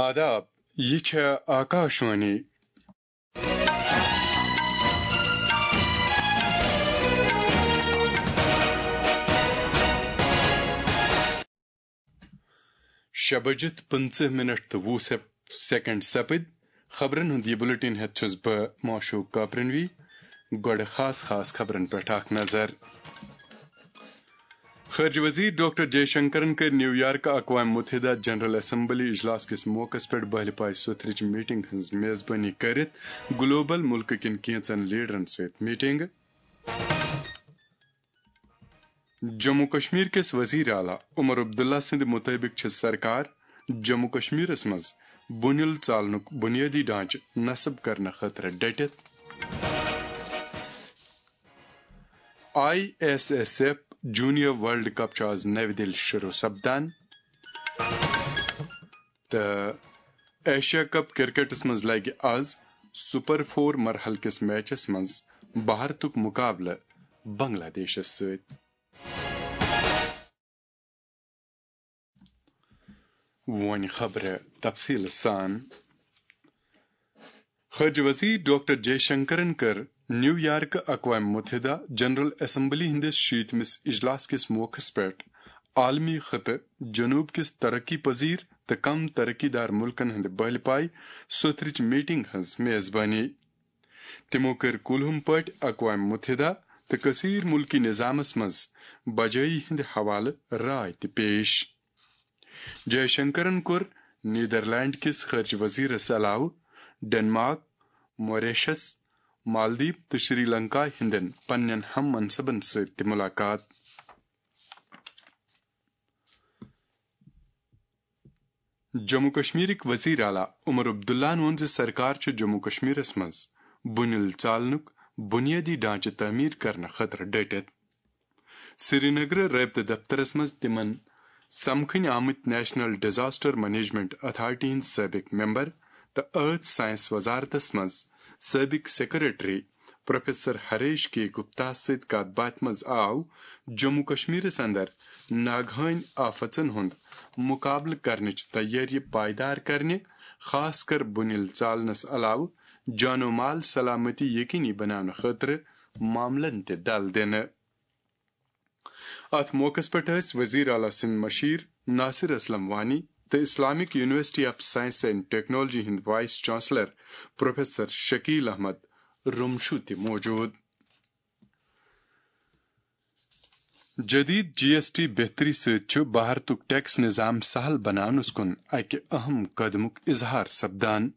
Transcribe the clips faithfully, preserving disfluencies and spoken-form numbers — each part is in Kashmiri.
آداب، یہِ چھےٚ آکاشوانی۔ شےٚ بجِتھ پٕنٛژٕہ منٹ تہٕ وُہ سیپ-، سیکنڈ سپٕدۍ۔ خبرن ہُنٛد یہِ بُلٹن ہٮ۪تھ چھُس بہٕ معشوق کاپرنوی۔ گۄڈٕ خاص خاص خبرن پٮ۪ٹھ اکھ نظر۔ خارجہ وزیر ڈاکٹر جے شنکرن کٔر نیو یارک اقوام متحدہ جنرل اسمبلی اجلاس کِس موقعس پٮ۪ٹھ بہلہِ پایہِ سوٚتھرٕچ میٹنگ ہٕنٛز میزبٲنی کٔرِتھ گلوبل مُلکہٕ کٮ۪ن کینٛژن لیڈرن سۭتۍ میٹنگ۔ جموں کشمیر کِس وزیر اعلیٰ عمر عبداللہ سٕنٛدِ مُطٲبِق چھِ سرکار جموں کشمیرس منٛز بُنیل ژالنُک بُنیٲدی ڈھانچہٕ نصب کرنہٕ خٲطرٕ ڈٔٹِتھ۔ I S S F junior world cup چھُ آز نَوِ دِلہِ شروٗع سپدان۔ تہٕ ایشیا کپ کرکٹس منٛز لگہِ آز سپر فور مرحلہٕ کِس میچس منٛز بھارتُک مقابلہٕ بنگلہ دیشس سۭتۍ۔ وۄنۍ خبرٕ تفصیٖل سان۔ خارجہ وزیر ڈاکٹر جے شنکرن کٔر نیو یارک اقوام متحدہ جنرل اسمبلی ہٕنٛدِس شیٖتمِس اجلاس کِس موقعس پٮ۪ٹھ عالمی خطہٕ جنوب کِس ترقی پذیر تہٕ کم ترقی دار مُلکن ہٕنٛدِ بہلہِ پایہِ سوٚتھرٕچ میٹنگ ہٕنٛز میزبٲنی۔ تِمو کٔر کُلہُم پٲٹھۍ اقوام متحدہ تہٕ کثیر ملکی نظامس منٛز بجٲیی ہٕنٛدِ حوالہٕ راے تہِ پیش۔ جے شنکرن کوٚر نیدرلینڈ کِس خارجہ وزیرس علاوٕ ڈنمارک، موریشس، مالدیپ تہٕ شری لنکا ہٕنٛدٮ۪ن پننٮ۪ن ہم منصبن سۭتۍ تہِ ملاقات۔ جموں کشمیرٕکۍ وزیر اعلیٰ عمر عبداللہن ووٚن زِ سرکار چھُ جموں کشمیرس منٛز بُنیل ژالنُک بُنیٲدی ڈھانچہٕ تعمیٖر کرنہٕ خٲطرٕ ڈٔٹِتھ۔ سرینگرٕ رٲبطہٕ دفترس منٛز تِمن سمکھٕنۍ آمٕتۍ نیشنل ڈیزاسٹر مینجمنٹ اتھارٹی ہٕنٛدۍ سٲبق ممبر تہٕ ٲتھ ساینس وزارتس منٛز سٲبق سیکرٹری پروفیسر ہریش کے گپتا سۭتۍ کتھ باتھِ منٛز آو جموں کشمیرس اندر ناگہٲنۍ آفژن ہُنٛد مقابلہٕ کرنٕچ تیٲری پائیدار کرنہِ، خاص کر بُنیل ژالنس علاوٕ جان و مال سلامتی یقینی بناونہٕ خٲطرٕ معاملن تہِ دل دِنہٕ۔ اتھ موقعس پٮ۪ٹھ ٲسۍ وزیر اعلیٰ سٕنٛدۍ مشیر ناصر اسلم وانی تہٕ Islamic university of science and technology ہٕنٛدۍ vice chancellor professor Shakil Ahmad Romshoo تہِ موجود۔ جدید جی ایس ٹی بہتری سۭتۍ چھُ بھارتُک ٹیکس نظام سہل بناونس کُن اکہِ اہم قدمُک اظہار سپدان۔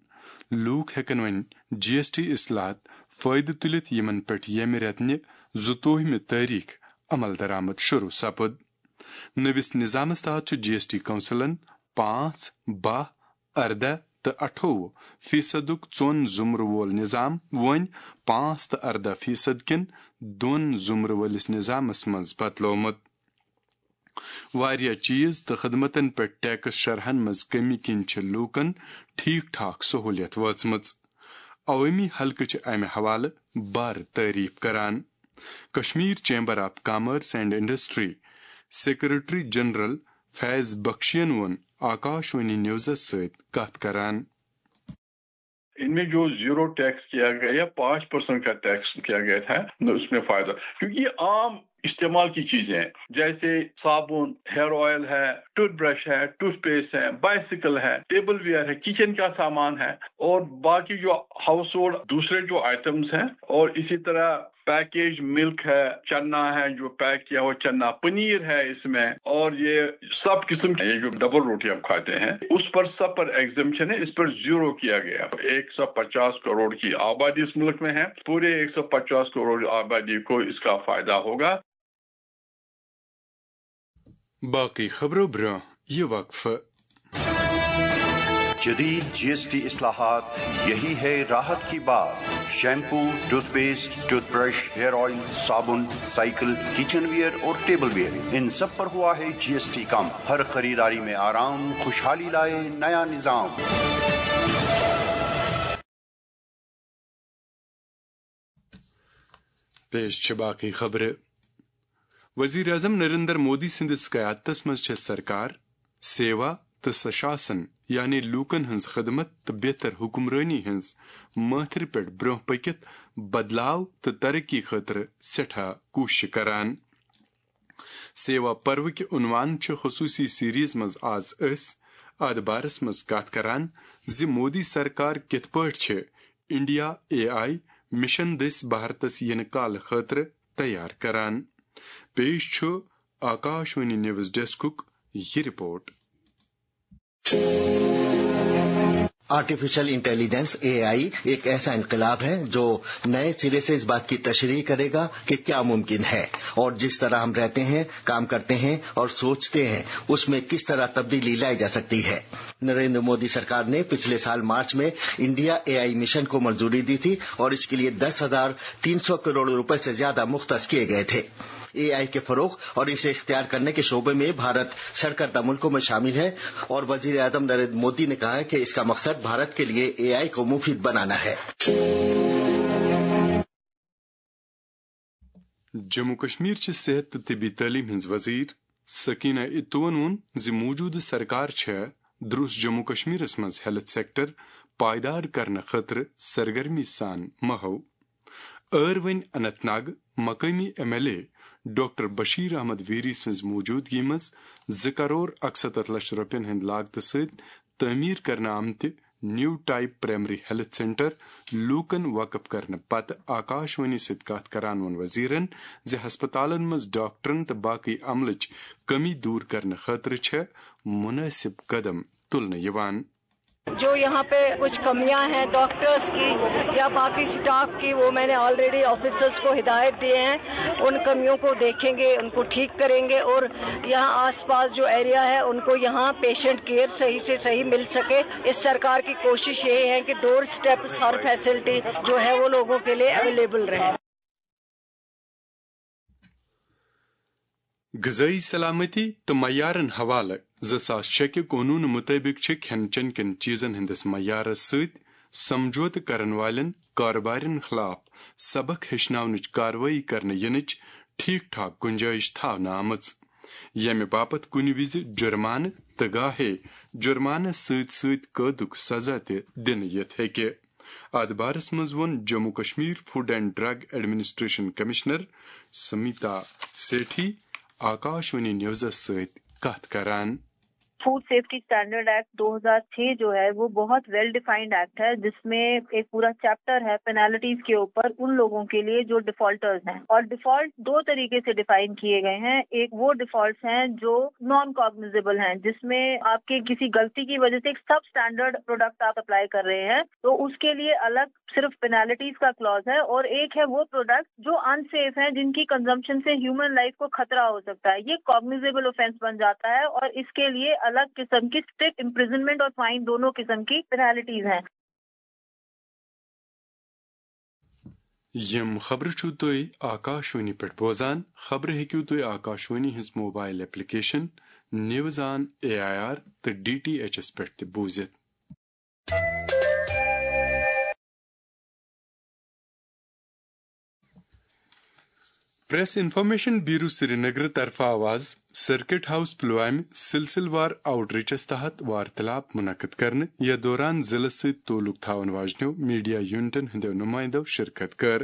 لوٗکھ ہٮ۪کن وۄنۍ جی ایس ٹی اصلاحات فٲیدٕ تُلِتھ، یِمن پٮ۪ٹھ ییٚمہِ رٮ۪تہٕ نہِ زٕتووُہمہِ تٲریخ عمل درآمد شروع سپُد۔ نٔوِس نظامس تحت چھُ جی ایس ٹی کونسلن پانٛژھ، باہ، ارداہ تہٕ اَٹھووُہ فیصدُک ژۄن زُمرٕ وول نظام وۄنۍ پانٛژھ تہٕ ارداہ فیصد کٮ۪ن دۄن زُمرٕ وٲلِس نظامس منٛز بدلومُت۔ واریاہ چیز تہٕ خدمتن پٮ۪ٹھ ٹیکس شرحن منٛز کمی کِنۍ چھِ لوٗکن ٹھیک ٹھاک سہولیت وٲژمٕژ۔ عوٲمی حلقہٕ چھِ امہِ حوالہٕ بھر تعریف کران۔ Kashmir chamber of commerce and industry secretary general Faiz بخشین ووٚن آکاشوانی نیوزس سۭتۍ کتھ کران۔ इनमें जो जीरो टैक्स किया गया या पाँच परसेंट का टैक्स किया गया था न, उसमें फायदा, क्योंकि ये आम इस्तेमाल की चीजें हैं, जैसे साबुन, हेयर ऑयल है, टूथब्रश है, टूथपेस्ट है, बाइसिकल है, टेबल वेयर है, किचन का सामान है और बाकी जो हाउस होल्ड दूसरे जो आइटम्स हैं और इसी तरह पैकेज मिल्क है, चना है जो पैक किया हुआ चना, पनीर है इसमें, और ये सब किस्म के, ये जो डबल रोटी आप खाते हैं, उस पर सब पर एग्जेम्पशन है। इस पर जीरो किया गया। एक सौ पचास करोड़ की आबादी इस मुल्क में है। पूरे एक सौ पचास करोड़ आबादी को इसका फायदा होगा। باقٕے خبرو برٛونٛہہ یہِ وقفہٕ۔ جدید جی ایس ٹی اصلاحات، یہی ہے راحت کی بات۔ Shampoo, toothpaste, toothbrush, hair oil, صابن، سائیکل، کچن ویئر اور ٹیبل ویئر، ان سب پر ہوا ہے جی ایس ٹی کم۔ ہر خریداری میں آرام، خوشحالی لائے نیا نظام۔ پیش چھِ باقٕے خبرٕ۔ وزیر اعظم نریندر مودی سٕنٛدِس قیادتس منٛز چھےٚ سرکار سیوا، تہٕ سشاسن، یعنی لوٗکن ہٕنٛز خدمت تہٕ بہتر حکمرٲنی ہٕنٛز مٲتھرِ پٮ۪ٹھ برٛونٛہہ پٔکِتھ بدلاو تہٕ ترقی خٲطرٕ سٮ۪ٹھاہ کوٗششہٕ کران۔ سیوا پروٕکۍ عنوان چھِ خصوٗصی سیریز منٛز آز أسۍ اتھ بارس منٛز کتھ کران زِ مودی سرکار کِتھ پٲٹھۍ چھِ انڈیا اے آئی مشن دٔسۍ بھارتس یِنہٕ کالہٕ خٲطرٕ تیار کران۔ پیش چھُ آکاشوانی نیوز ڈیسکُک یہِ report. Artificial intelligence, A I, ایک ایسا انقلاب ہے جو نئے سرے سے اس بات کی تشریح کرے گا کہ کیا ممکن ہے اور جس طرح ہم رہتے ہیں، کام کرتے ہیں اور سوچتے ہیں، اس میں کس طرح تبدیلی لائی جا سکتی ہے۔ نریندر مودی سرکار نے پچھلے سال مارچ میں انڈیا اے آئی مشن کو منظوری دی تھی اور اس کے لیے دس ہزار تین سو کروڑ روپے سے زیادہ مختص کیے گئے تھے۔ اے آئی کے فروغ اور اسے اختیار کرنے کے شعبے میں بھارت سرکردہ ملکوں میں شامل ہے اور وزیر اعظم نریندر مودی نے کہا ہے کہ اس کا مقصد بھارت کے لیے اے آئی کو مفید بنانا ہے۔ جموں کشمیر چہِ صحت تہٕ طبی تعلیٖم ہٕنٛز وزیر سکینہ اتوَن ووٚن زِ موٗجوٗدٕ سرکار چھےٚ درُس جموں کشمیرس منٛز ہیلتھ سیکٹر پائیدار کرنہٕ خٲطرٕ سرگرمی سان مہو۔ ٲر وۄنۍ اننت ناگ مقٲمی M L A doctor Bashir Ahmad Veeri سٕنٛز موٗجوٗدگی منٛز زٕ کرور اکستتھ لچھ رۄپین ہٕنٛدِ لاگتہٕ سۭتۍ تعمیٖر کرنہٕ آمتہِ نیو ٹائپ پرائمری ہیلتھ سینٹر لوٗکن وقف کرنہٕ پتہٕ آکاشوانی سۭتۍ کتھ کران ووٚن وزیرن زِ ہسپتالن منٛز ڈاکٹرن تہٕ باقی عملٕچ کمی دور کرنہٕ خٲطرٕ چھےٚ مناسب قدم تُلنہٕ یِوان۔ جو یہاں پہ کچھ کمیاں ہیں ڈاکٹرز کی یا باقی سٹاف کی، وہ میں نے آلریڈی آفیسرز کو ہدایت دیے ہیں، ان کمیوں کو دیکھیں گے، ان کو ٹھیک کریں گے، اور یہاں آس پاس جو ایریا ہے ان کو یہاں پیشنٹ کیئر صحیح سے صحیح مل سکے۔ اس سرکار کی کوشش یہی ہے کہ ڈور سٹیپس ہر فیسلٹی جو ہے وہ لوگوں کے لیے اویلیبل رہے۔ غذٲیی سلامتی تہٕ معیارن حوالہٕ زٕ ساس شےٚ کہِ قونوٗنہٕ مُطٲبِق چھِ کھٮ۪ن چٮ۪ن کٮ۪ن چیٖزن ہٕنٛدِس معیارس سۭتۍ سمجھوتہٕ کرن والٮ۪ن کارٕبارٮ۪ن خلاف سبق ہیٚچھناونٕچ کاروٲیی کرنہٕ یِنٕچ ٹھیٖک ٹھاک گُنجٲیِش تھاونہٕ آمٕژ، ییٚمہِ باپتھ کُنہِ وِزِ جُرمانہٕ تہٕ گاہے جُرمانس سۭتۍ سۭتۍ قٲدُک سزا تہِ دِنہٕ یِتھ ہیٚکہِ۔ اتھ بارس منٛز ووٚن Jammu Kashmir food and drug administration commissioner Smita سیٹھی آکاشوانی نیوزس سۭتۍ کتھ کران۔ فوڈ سیفٹی اسٹینڈرڈ ایکٹ دو ہزار چھ جو ہے، وہ بہت ویل ڈیفائنڈ ایکٹ ہے، جس میں ایک پورا چیپٹر ہے پینالٹیز کے اوپر ان لوگوں کے لیے جو ڈیفالٹرز ہیں۔ اور ڈیفالٹ دو طریقے سے ڈیفائن کیے گئے ہیں۔ ایک وہ ڈیفالٹس ہیں جو نان کاگنیزیبل ہیں، جس میں آپ کے کسی غلطی کی وجہ سے ایک سب اسٹینڈرڈ پروڈکٹ آپ سپلائی کر رہے ہیں، تو اس کے لیے الگ صرف پینالٹیز کا کلاز ہے، اور ایک ہے وہ پروڈکٹ جو انسیف ہیں، جن کی کنزمپشن سے ہیومن لائف کو خطرہ ہو سکتا ہے۔ یہ کاگنیزیبل آفینس بن جاتا ہے اور اس کے لیے الگ قسم کی اسٹرکٹ امپریزنمنٹ اور فائن دونوں قسم کی پینالٹیز ہیں۔ یِم خبرٕ چھِو تُہۍ آکاشوانی پٮ۪ٹھ بوزان۔ خبرٕ ہیٚکِو تُہۍ آکاشوانی ہٕنٛز mobile application news on A I R تہٕ ڈی ٹی ایچ ایس پٮ۪ٹھ تہِ بوٗزِتھ۔ پریس انفارمیشن بیورو سرینگر طرفہٕ آو آز سرکٹ ہاؤس پلوامہِ سلسلہٕ وار آؤٹ ریچس تحت وارتلاب منعقد کرنہٕ، یتھ دوران ضلعس سۭتۍ تعلق تھاون واجنیو میڈیا یونٹن ہٕنٛدیو نمائندو شرکت کٔر۔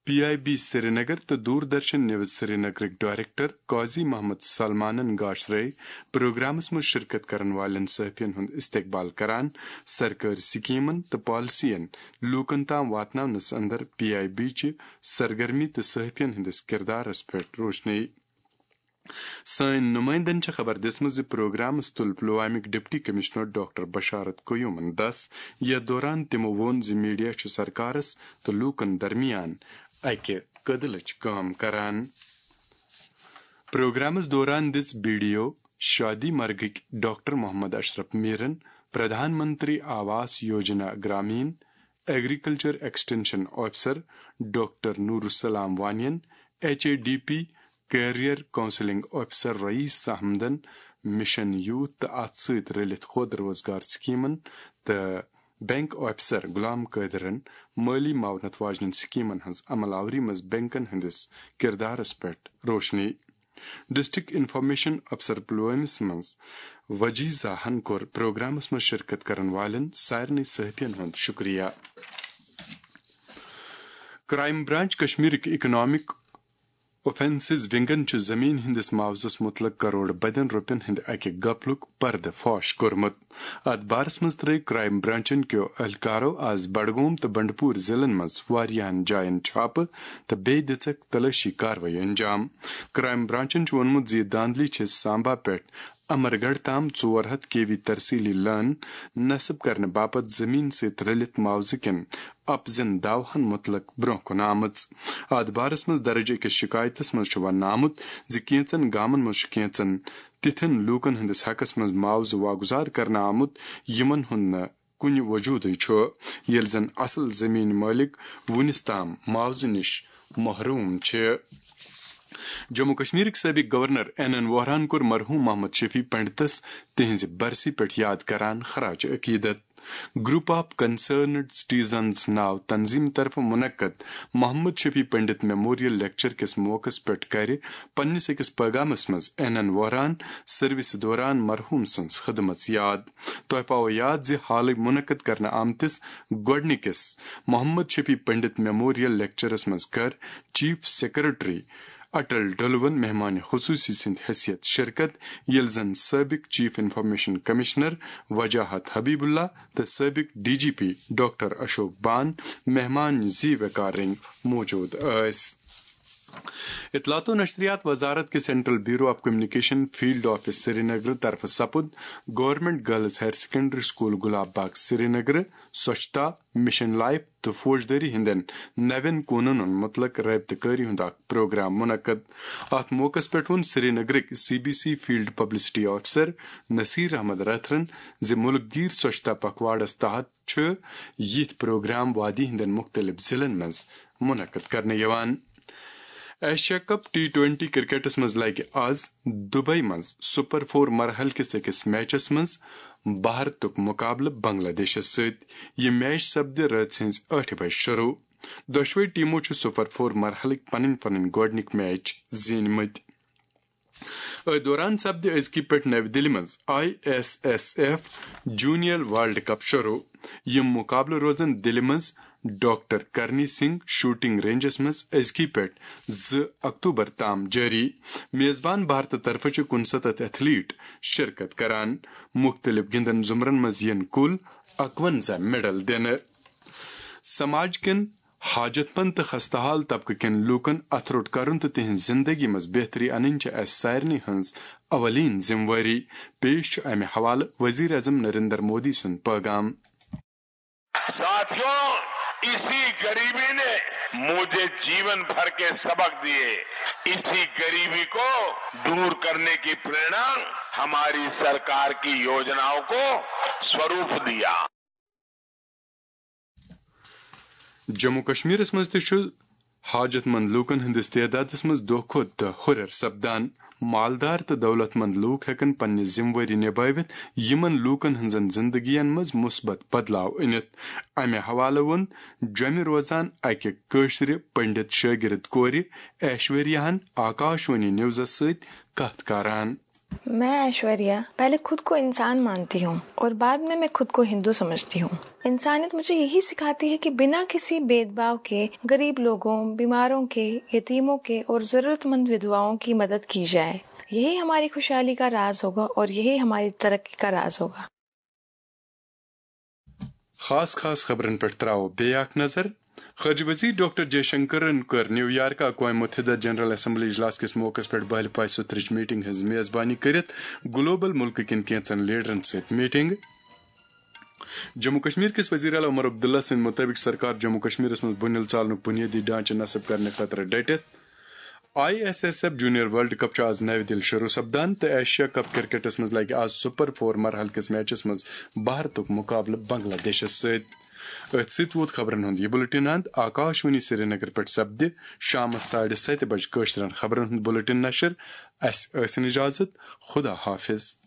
پی آئی بی سرینگر تہٕ دوردرشن نیوز سرینگرٕکۍ ڈائریکٹر قاضی محمد سلمانن گاشرے پروگرامس منٛز شرکت کرن والٮ۪ن صحافین ہُنٛد استقبال کران، سرکٲرۍ سکیمن تہٕ پالیسین لوٗکن تام واتناونس اندر پی آئی بی چہِ سرگرمی تہٕ صحافین ہٕنٛدِس کردارس پٮ۪ٹھ روشنی۔ سٲنۍ نمائندن چھےٚ خبر دِژمٕژ زِ پروگرامس تُل پلوامٕکۍ ڈپٹی کمشنر ڈاکٹر بشارت قیومن دس، یتھ دوران تِمو ووٚن زِ میڈیا چھُ سرکارس تہٕ لوٗکن درمیان اکہِ کٔدلٕچ کٲم کران۔ پروگرامس دوران دِژ بی ڈی او شادی مرگٕکۍ ڈاکٹر محمد اشرف میرن، Pradhan Mantri Awas Yojana Gramin, agriculture extension officer doctor Noor ul Islam وانین، H A D P career counselling officer Rayees احمدن، مشن یوتھ تہٕ اتھ سۭتۍ رلِتھ خود روزگار سکیمن تہٕ بینک آفیسر غلام قٲدرن مٲلی معاونت واجنٮ۪ن سکیمن ہٕنٛز عمل آوری منٛز بینکن ہٕنٛدِس کردارس پٮ۪ٹھ روشنی۔ ڈسٹرکٹ انفارمیشن افسر پلوٲمِس منٛز وجیزاہن کوٚر پروگرامس منٛز شرکت کرن والٮ۪ن سارنٕے صحافین ہُنٛد شکریہ۔ کرائم برانچ کشمیرٕکۍ اکنامک اوفینسز ونگن چھُ زمین ہٕنٛدِس معاوضس متعلق کرور بدین رۄپین ہٕنٛدِ اکہِ گپلُک پردٕ فاش کوٚرمُت۔ اتھ بارس منٛز ترٲوۍ کرائم برانچن کیو اہلکارو آز بڈگوم تہٕ بنڈپور ضلعن منٛز واریاہن جاین چھاپہٕ تہٕ بیٚیہِ دِژکھ تلٲشی کاروٲیی انجام۔ کرائم برانچن چھُ ووٚنمُت زِ یہِ دھاندلی چھِ سامبا پٮ۪ٹھ امرگڑھ تام ژور ہتھ کے وی ترسیلی لٲن نصب کرنہٕ باپتھ زمین سۭتۍ رلِتھ معاوضہٕ کٮ۪ن اپزن داوہن متعلق برونٛہہ کُن آمٕژ۔ اتھ بارس منٛز درج أکِس شکایتس منٛز چھُ وننہٕ آمُت زِ کینژن گامن منٛز چھُ کینژن تِتھٮ۪ن لوٗکن ہٕنٛدِس حقس منٛز معاوضہٕ واگُزار کرنہٕ آمُت، یِمن ہُنٛد نہٕ کُنہِ وجودٕے چھُ، ییٚلہِ زن اصل زمین مٲلک وُنِس تام معاوضہٕ نِش محروم چھِ۔ جموں کشمیرٕکۍ سٲبق گورنر این این ووہراہن کوٚر مرحوم محمد شفیع پنڈتس تِہنٛزِ برسی پٮ۪ٹھ یاد کران خراج عقیدت۔ گروپ آف کنسرنڈ سٹیزنز ناو تنظیمہٕ طرفہٕ منعقد محمد شفیع پنڈت میموریل لیکچر کِس موقعس پٮ۪ٹھ کرِ پننِس أکِس پیغامس منٛز این این ووہران سروسہِ دوران مرحوم سٕنٛز خدمژ یاد۔ تۄہہِ پاوو یاد زِ حالٕے منعقد کرنہٕ آمتِس گۄڈٕنِکِس محمد شفیع پنڈت میموریل لیکچرس منٛز کٔر چیف سیکرٹری اٹل ڈولون مہمان خصوصی سٕنٛدِ حیثیت شرکت، ییٚلہِ زن سٲبق chief information commissioner Wajahat Habibullah تہٕ سٲبق D G P doctor Ashok Bhan مہمان زی وقار رنگۍ موجود ٲسۍ۔ اطلاعات و نشریات وزارت کے central bureau of communication field office Srinagar طرفہٕ سپُد government girls higher secondary school Gulab Bagh Srinagar سوچھتا، مشن لائف تہٕ فوجدٲری ہٕنٛدٮ۪ن نوٮ۪ن قونوٗنن متعلق رٲبطہٕ کٲری ہُنٛد اکھ پروگرام منعقد۔ اتھ موقعس پٮ۪ٹھ ووٚن سرینگرٕکۍ C B C field publicity officer Naseer Ahmad رتھرن زِ مُلک گیر سوچھتا پکھواڑس تحت چھِ یِتھۍ پروگرام وادی ہٕنٛدٮ۪ن مُختٔلِف ضلعن منٛز منعقد کرنہٕ یِوان۔ ایشیا کپ ٹی ٹوینٹی کرکٹس منٛز لگہِ آز دبئی منٛز سپر فور مرحلہٕ کِس أکِس میچس منٛز بھارتُک مقابلہٕ بنگلہ دیشس سۭتۍ۔ یہِ میچ سپدِ رٲژ ہٕنٛزِ ٲٹھِ بجہِ شروع۔ دۄشوے ٹیمو چھِ سپر فور مرحلٕکۍ پنٕنۍ پنٕنۍ گۄڈٕنِکۍ میچ زیٖنۍ مٕتۍ۔ أتھۍ دوران سپدِ أزکہِ پٮ۪ٹھ نَوِ دِلہِ منٛز I S S F junior world cup شروع۔ یِم مقابلہٕ روزن دِلہِ منٛز ڈاکٹر کرنی سنگھ شوٹنگ رینجس منٛز أزکہِ پٮ۪ٹھ زٕ اکتوبر تام جٲری۔ میزبان بھارتہٕ طرفہٕ چھِ کُنسَتتھ ایتھلیٹ شرکت کران۔ مُختٔلِف گِنٛدن زُمرن منٛز یِن کُل اَکوَنزاہ میڈل دِنہٕ۔ سماج کٮ۪ن حاجت مند تہٕ خستہ حال طبقہٕ کٮ۪ن لوٗکن اتھٕ روٚٹ کرُن تہٕ تِہنٛز زندگی منٛز بہتری انٕنۍ چھِ اسہِ سارنٕے ہٕنٛز اولین ذمہٕ وٲری۔ پیش چھُ امہِ حوالہٕ وزیر اعظم نریندر مودی سُنٛد پیغام۔ ساتھیو، اسی गरीबी ने मुझे जीवन भर के सबक दिए। इसी गरीबी को दूर करने की प्रेरणा हमारी सरकार की योजनाओं को स्वरूप दिया। جموں کشمیرس منٛز تہِ چھُ حاجت مند لوٗکن ہٕنٛدِس تعدادس منٛز دۄہ کھۄتہٕ دۄہ ہُرٮ۪ر سپدان۔ مالدار تہٕ دولت مند لوٗکھ ہٮ۪کن پننہِ ذمہٕ وٲری نبٲوِتھ، یِمن لوٗکن ہٕنٛزن زندگین منٛز مثبت بدلاو أنِتھ۔ امہِ حوالہٕ ووٚن جوٚمہِ روزان اکہِ کٲشرِ پنڈت شٲگرد کورِ ایشوریاہن آکاشوانی نیوزس سۭتۍ کتھ کران۔ میں ایشوریا پہلے خود کو انسان مانتی ہوں اور بعد میں میں خود کو ہندو سمجھتی ہوں۔ انسانیت مجھے یہی سکھاتی ہے کہ بنا کسی بھید بھاؤ کے غریب لوگوں، بیماروں کے، یتیموں کے اور ضرورت مند ودواؤں کی مدد کی جائے۔ یہی ہماری خوشحالی کا راز ہوگا اور یہی ہماری ترقی کا راز ہوگا۔ خاص خاص خبرن پٮ۪ٹھ تراوو بیٚیہِ اکھ نظر۔ خارجہ وزیر ڈاکٹر جے شنکرن کٔر نیو یارک اقوام متحدہ جنرل اسمبلی اجلاس کِس موقعس پٮ۪ٹھ بہلہِ پاے سترٕچ میٹنگ ہٕنٛز میزبانی کٔرِتھ گلوبل ملکہٕ کٮ۪ن کینٛژن لیڈرن سۭتۍ میٹنگ۔ جموں کشمیر کِس وزیر اعلیٰ عمر عبداللہ سٕنٛدِ مُطٲبِق سرکار جموں کشمیرس منٛز بُنیل ژالنُک بُنیٲدی ڈھانچہٕ نصب کرنہٕ خٲطرٕ ڈٔٹِتھ۔ I S S F junior world cup چھُ آز نَوِ دِلہِ شروع سپدان تہٕ ایشیا کپ کرکٹس منٛز لگہِ آز سپر فور مرحلہٕ کِس میچس منٛز بھارتُک مقابلہٕ بنگلہ دیشس سۭتۍ۔ أتھۍ سۭتۍ ووت خبرن ہُنٛد یہِ بُلٹن اند۔ آکاشوانی سرینگر پٮ۪ٹھ سپدِ شامس ساڑِ ستہِ بجہِ کٲشرٮ۪ن خبرن ہُنٛد بُلٹن نشر۔ اسہِ ٲسِن اجازت۔ خدا حافظ۔